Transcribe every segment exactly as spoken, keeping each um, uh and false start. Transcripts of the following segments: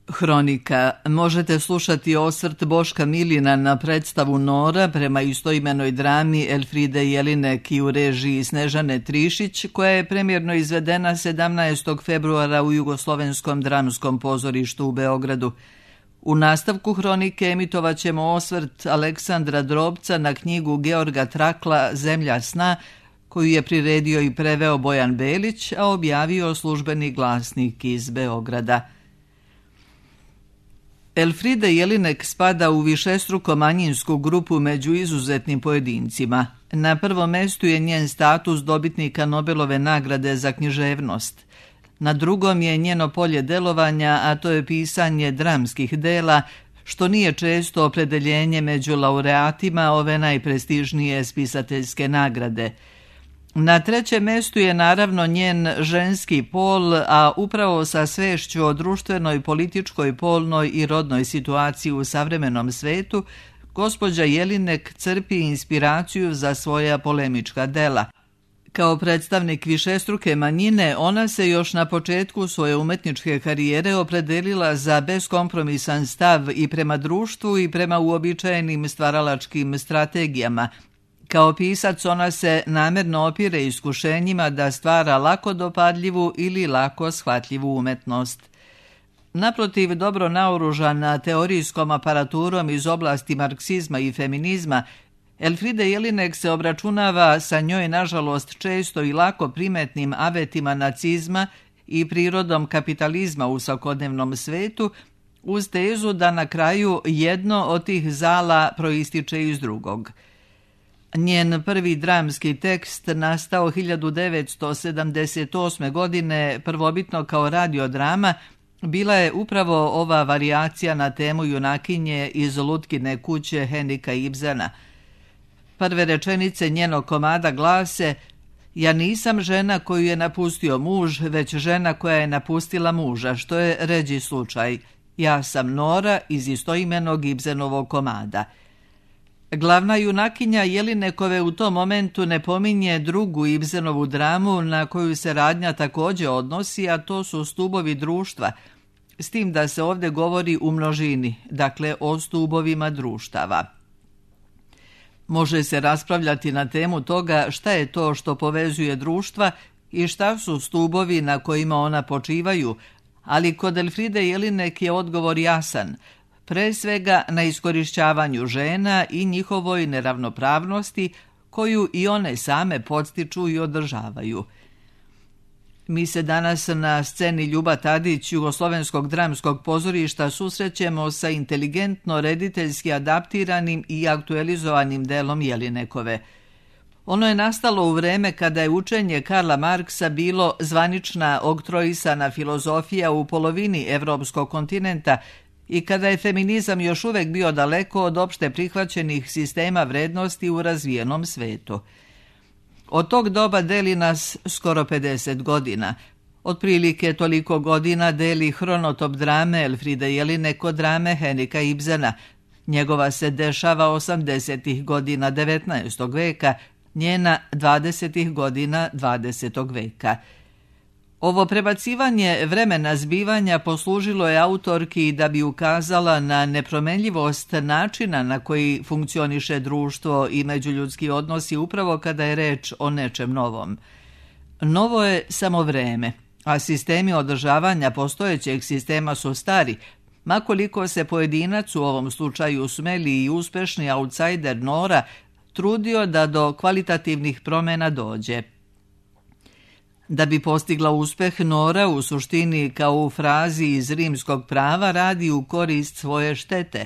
Hronika. Možete slušati osvrt Boška Miljina na predstavu Nora prema istoimenoj drami Elfride Jelinek i u režiji Snežane Trišić, koja je premjerno izvedena sedamnaestog februara u Jugoslovenskom dramskom pozorištu u Beogradu. U nastavku hronike emitovat ćemo osvrt Aleksandra Drobca na knjigu Georga Trakla Zemlja sna, koju je priredio i preveo Bojan Belić, a objavio Službeni glasnik iz Beograda. Elfrida Jelinek spada u višestruko manjinsku grupu među izuzetnim pojedincima. Na prvom mestu je njen status dobitnika Nobelove nagrade za književnost. Na drugom je njeno polje delovanja, a to je pisanje dramskih dela, što nije često opredeljenje među laureatima ove najprestižnije spisateljske nagrade. Na trećem mestu je naravno njen ženski pol, a upravo sa svešću o društvenoj, političkoj, polnoj i rodnoj situaciji u savremenom svetu, gospođa Jelinek crpi inspiraciju za svoja polemička dela. Kao predstavnik višestruke manjine, ona se još na početku svoje umetničke karijere opredelila za beskompromisan stav i prema društvu i prema uobičajenim stvaralačkim strategijama. Kao pisac ona se namjerno opire iskušenjima da stvara lako dopadljivu ili lako shvatljivu umetnost. Naprotiv, dobro naoružana teorijskom aparaturom iz oblasti marksizma i feminizma, Elfrida Jelinek se obračunava sa njoj nažalost često i lako primetnim avetima nacizma i prirodom kapitalizma u svakodnevnom svetu, uz tezu da na kraju jedno od tih zala proističe iz drugog. Njen prvi dramski tekst, nastao hiljadu devetsto sedamdeset osme. godine, prvobitno kao radiodrama, bila je upravo ova varijacija na temu junakinje iz Lutkine kuće Henrika Ibsena. Prve rečenice njenog komada glase: "Ja nisam žena koju je napustio muž, već žena koja je napustila muža, što je ređi slučaj. Ja sam Nora iz istoimenog Ibsenovog komada." Glavna junakinja Jelinekove u tom momentu ne pominje drugu Ibsenovu dramu na koju se radnja također odnosi, a to su stubovi društva, s tim da se ovdje govori u množini, dakle o stubovima društava. Može se raspravljati na temu toga šta je to što povezuje društva i šta su stubovi na kojima ona počivaju, ali kod Elfride Jelinek je odgovor jasan, pre svega na iskorišćavanju žena i njihovoj neravnopravnosti koju i one same podstiču i održavaju. Mi se danas na sceni Ljuba Tadić Jugoslovenskog dramskog pozorišta susrećemo sa inteligentno rediteljski adaptiranim i aktualizovanim delom Jelinekove. Ono je nastalo u vreme kada je učenje Karla Marksa bilo zvanična oktroisana filozofija u polovini evropskog kontinenta i kada je feminizam još uvek bio daleko od opšte prihvaćenih sistema vrednosti u razvijenom svetu. Od tog doba deli nas skoro pedeset godina. Otprilike toliko godina deli hronotop drame Elfride Jelinek od drame Henrika Ibsena. Njegova se dešava osamdesetih godina devetnaestog veka, njena dvadesetih godina dvadesetog veka. Ovo prebacivanje vremena zbivanja poslužilo je autorki da bi ukazala na nepromenljivost načina na koji funkcioniše društvo i međuljudski odnosi upravo kada je reč o nečem novom. Novo je samo vreme, a sistemi održavanja postojećeg sistema su stari, makoliko se pojedinac, u ovom slučaju smeli i uspešni outsider Nora, trudio da do kvalitativnih promjena dođe. Da bi postigla uspeh, Nora u suštini kao u frazi iz rimskog prava radi u korist svoje štete.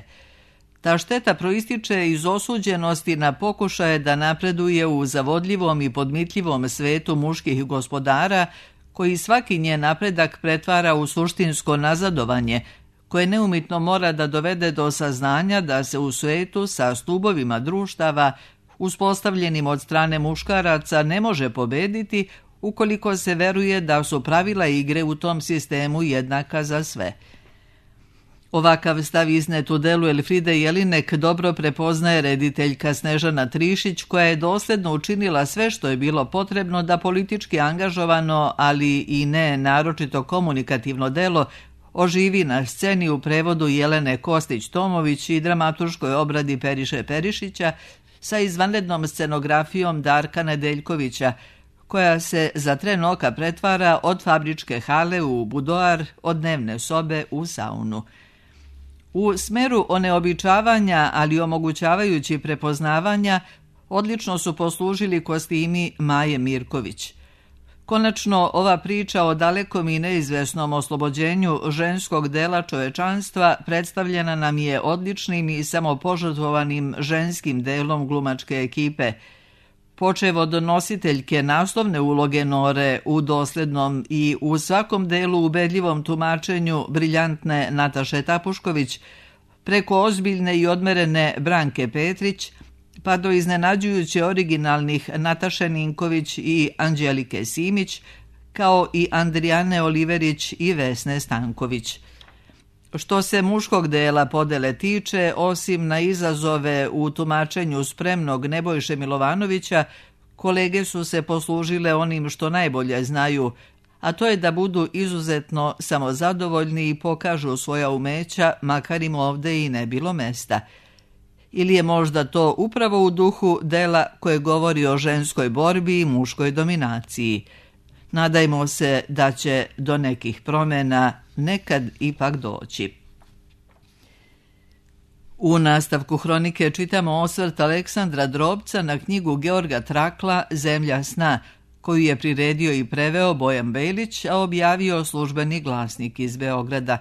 Ta šteta proističe iz osuđenosti na pokušaje da napreduje u zavodljivom i podmitljivom svetu muških gospodara, koji svaki njen napredak pretvara u suštinsko nazadovanje, koje neumitno mora da dovede do saznanja da se u svetu sa stubovima društava, uspostavljenim od strane muškaraca, ne može pobediti ukoliko se veruje da su pravila igre u tom sistemu jednaka za sve. Ovakav stav iznet u delu Elfride Jelinek dobro prepoznaje rediteljka Snežana Trišić, koja je dosledno učinila sve što je bilo potrebno da politički angažovano, ali i ne naročito komunikativno delo oživi na sceni u prevodu Jelene Kostić-Tomović i dramaturškoj obradi Periše Perišića sa izvanrednom scenografijom Darka Nedeljkovića, koja se za tren oka pretvara od fabričke hale u budoar, od dnevne sobe u saunu. U smeru oneobičavanja, ali omogućavajući prepoznavanja, odlično su poslužili kostimi Maje Mirković. Konačno, ova priča o dalekom i neizvesnom oslobođenju ženskog dela čovečanstva predstavljena nam je odličnim i samopožrtvovanim ženskim delom glumačke ekipe, počev od nositeljke naslovne uloge Nore u doslednom i u svakom delu ubedljivom tumačenju briljantne Nataše Tapušković, preko ozbiljne i odmerene Branke Petrić, pa do iznenađujuće originalnih Nataše Ninković i Anđelike Simić, kao i Andrijane Oliverić i Vesne Stanković. Što se muškog dela podele tiče, osim na izazove u tumačenju spremnog Nebojše Milovanovića, kolege su se poslužile onim što najbolje znaju, a to je da budu izuzetno samozadovoljni i pokažu svoja umeća, makar im ovde i ne bilo mesta. Ili je možda to upravo u duhu dela koje govori o ženskoj borbi i muškoj dominaciji. Nadajmo se da će do nekih promjena nekad ipak doći. U nastavku hronike čitamo osvrt Aleksandra Drobca na knjigu Georga Trakla Zemlja sna, koju je priredio i preveo Bojan Bejlić, a objavio Službeni glasnik iz Beograda.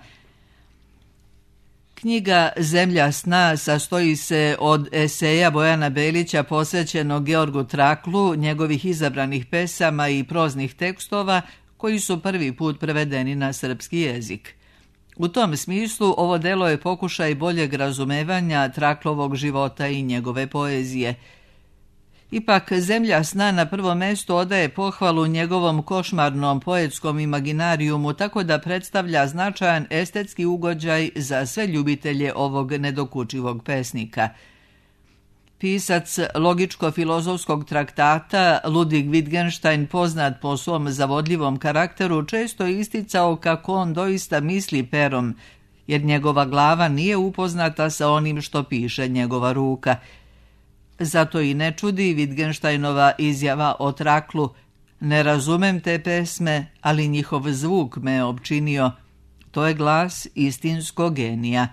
Knjiga Zemlja sna sastoji se od eseja Bojana Bejlića posvećenog Georgu Traklu, njegovih izabranih pesama i proznih tekstova koji su prvi put prevedeni na srpski jezik. U tom smislu ovo delo je pokušaj boljeg razumevanja Traklovog života i njegove poezije. Ipak Zemlja sna na prvo mesto odaje pohvalu njegovom košmarnom poetskom imaginarijumu, tako da predstavlja značajan estetski ugođaj za sve ljubitelje ovog nedokučivog pesnika. Pisac logičko-filozofskog traktata Ludwig Wittgenstein, poznat po svom zavodljivom karakteru, često isticao kako on doista misli perom, jer njegova glava nije upoznata sa onim što piše njegova ruka. Zato i ne čudi Wittgensteinova izjava o Traklu: ne razumem te pesme, ali njihov zvuk me opčinio. To je glas istinskog genija.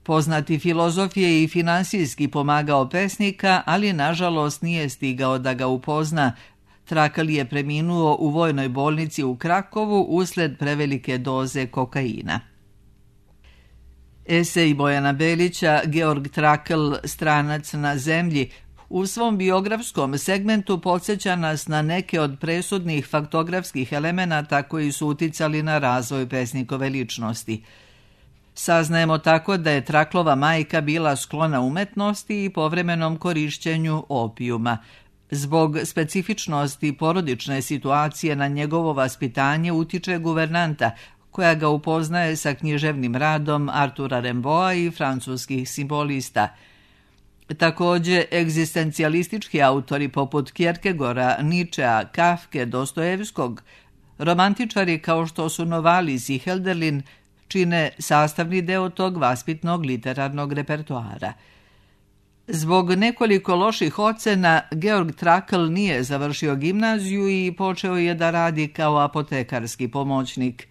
Poznati filozof je i finansijski pomagao pesnika, ali nažalost nije stigao da ga upozna. Trakl je preminuo u vojnoj bolnici u Krakovu usled prevelike doze kokaina. Esej Bojana Bejlića Georg Trakl, stranac na zemlji, u svom biografskom segmentu podsjeća nas na neke od presudnih faktografskih elemenata koji su uticali na razvoj pesnikove ličnosti. Saznajemo tako da je Traklova majka bila sklona umetnosti i povremenom korišćenju opijuma. Zbog specifičnosti porodične situacije na njegovo vaspitanje utiče guvernanta, koja ga upoznaje sa književnim radom Artura Rimbaua i francuskih simbolista. Također, egzistencijalistički autori poput Kierkegora, Ničea, Kafke, Dostojevskog, romantičari kao što su Novalis i Hölderlin, čine sastavni deo tog vaspitnog literarnog repertoara. Zbog nekoliko loših ocena, Georg Trakl nije završio gimnaziju i počeo je da radi kao apotekarski pomoćnik.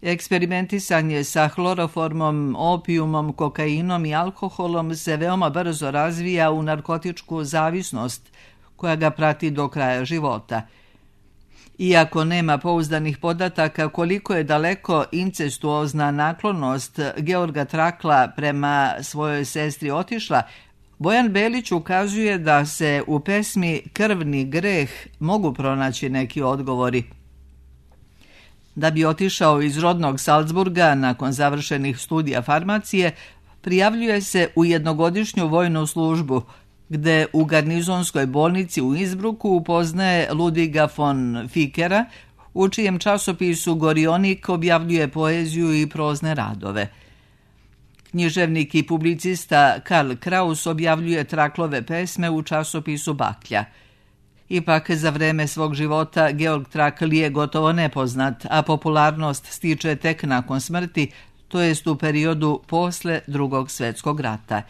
Eksperimentisanje sa hloroformom, opijumom, kokainom i alkoholom se veoma brzo razvija u narkotičku zavisnost koja ga prati do kraja života. Iako nema pouzdanih podataka koliko je daleko incestuozna naklonost Georga Trakla prema svojoj sestri otišla, Bojan Bejlić ukazuje da se u pesmi Krvni greh mogu pronaći neki odgovori. Da bi otišao iz rodnog Salzburga nakon završenih studija farmacije, prijavljuje se u jednogodišnju vojnu službu, gde u garnizonskoj bolnici u Innsbrucku upoznaje Ludwiga von Fickera, u čijem časopisu Gorionik objavljuje poeziju i prozne radove. Književnik i publicista Karl Kraus objavljuje Traklove pesme u časopisu Baklja. Ipak za vreme svog života Georg Trakl je gotovo nepoznat, a popularnost stiče tek nakon smrti, to jest u periodu posle Drugog svjetskog rata.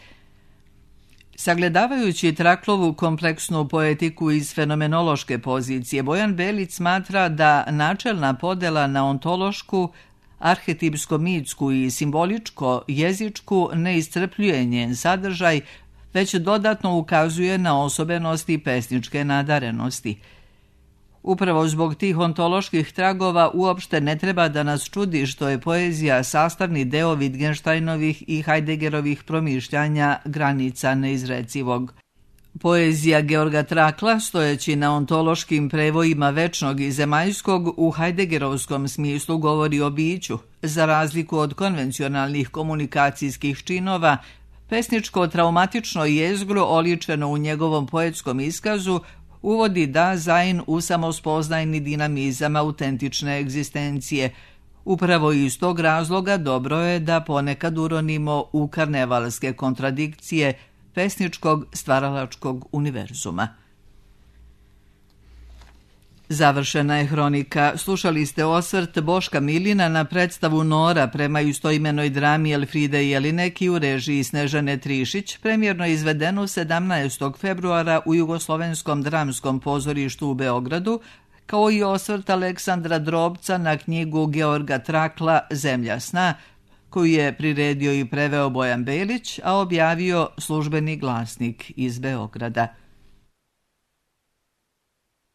Sagledavajući Traklovu kompleksnu poetiku iz fenomenološke pozicije, Bojan Belić smatra da načelna podela na ontološku, arhetipsko-mitsku i simboličko-jezičku ne iscrpljuje njen sadržaj, već dodatno ukazuje na osobenosti pesničke nadarenosti. Upravo zbog tih ontoloških tragova uopšte ne treba da nas čudi što je poezija sastavni deo Wittgensteinovih i Heideggerovih promišljanja granica neizrecivog. Poezija Georga Trakla, stojeći na ontološkim prevojima večnog i zemaljskog, u Heideggerovskom smislu govori o biću. Za razliku od konvencionalnih komunikacijskih činova, pesničko traumatično jezgro oličeno u njegovom poetskom iskazu uvodi dazajn u samospoznajni dinamizam autentične egzistencije. Upravo iz tog razloga dobro je da ponekad uronimo u karnevalske kontradikcije pesničkog stvaralačkog univerzuma. Završena je hronika. Slušali ste osvrt Boška Milina na predstavu Nora prema istoimenoj drami Elfride Jelinek i u režiji Snežane Trišić, premjerno izvedenu sedamnaestog februara u Jugoslovenskom dramskom pozorištu u Beogradu, kao i osvrt Aleksandra Drobca na knjigu Georga Trakla Zemlja sna, koju je priredio i preveo Bojan Belić, a objavio Službeni glasnik iz Beograda.